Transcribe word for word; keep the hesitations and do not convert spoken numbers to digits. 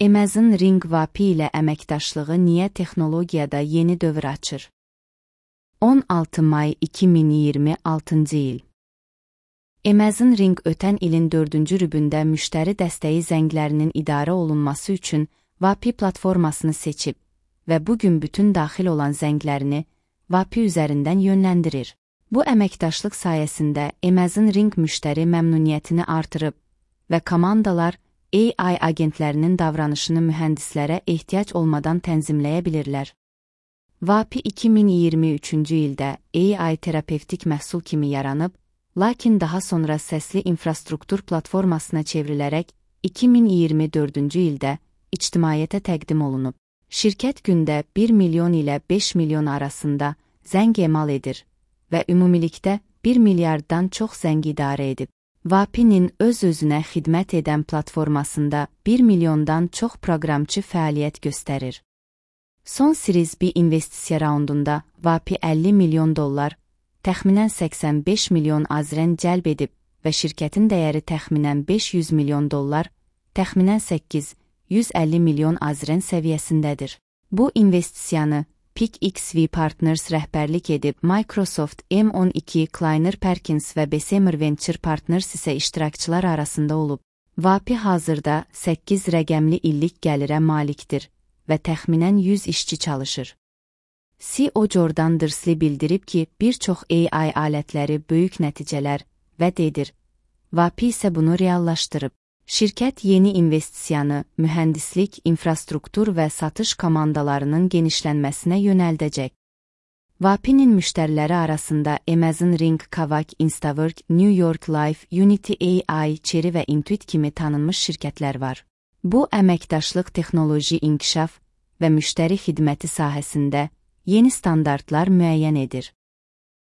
Amazon Ring V A P ilə əməkdaşlığı niyə texnologiyada yeni dövr açır? on altı may iki min iyirmi altıncı il. Amazon Ring ötən ilin dördüncü rübündə müştəri dəstəyi zənglərinin idarə olunması üçün V A P platformasını seçib və bugün bütün daxil olan zənglərini V A P üzərindən yönləndirir. Bu əməkdaşlıq sayəsində Amazon Ring müştəri məmnuniyyətini artırıb və komandalar A I agentlərinin davranışını mühəndislərə ehtiyac olmadan tənzimləyə bilirlər. V A P iki min iyirmi üçüncü ildə A I terapevtik məhsul kimi yaranıb, lakin daha sonra səsli infrastruktur platformasına çevrilərək iki min iyirmi dördüncü ildə ictimaiyyətə təqdim olunub. Şirkət gündə bir milyon ilə beş milyon arasında zəng emal edir və ümumilikdə bir milyarddan çox zəng idarə edib. V A P-nin öz-özünə xidmət edən platformasında bir milyondan çox proqramçı fəaliyyət göstərir. Son Series B investisiya raundunda V A P əlli milyon dollar, təxminən səksən beş milyon azren cəlb edib və şirkətin dəyəri təxminən beş yüz milyon dollar, təxminən səkkiz yüz əlli milyon azren səviyyəsindədir. Bu investisiyanı PicXV Partners rəhbərlik edib, Microsoft, M on iki, Kleiner Perkins və Bessemer Venture Partners isə iştirakçılar arasında olub. V A P hazırda səkkiz rəqəmli illik gəlirə malikdir və təxminən yüz işçi çalışır. C E O Jordan Driscoll bildirib ki, bir çox A I alətləri böyük nəticələr vəd edir. V A P isə bunu reallaşdırıb. Şirkət yeni investisiyanı mühəndislik, infrastruktur və satış komandalarının genişlənməsinə yönəldəcək. V A P-nin müştəriləri arasında Amazon Ring, Kavak, Instawork, New York Life, Unity A I, Chery və Intuit kimi tanınmış şirkətlər var. Bu əməkdaşlıq texnoloji inkişaf və müştəri xidməti sahəsində yeni standartlar müəyyən edir.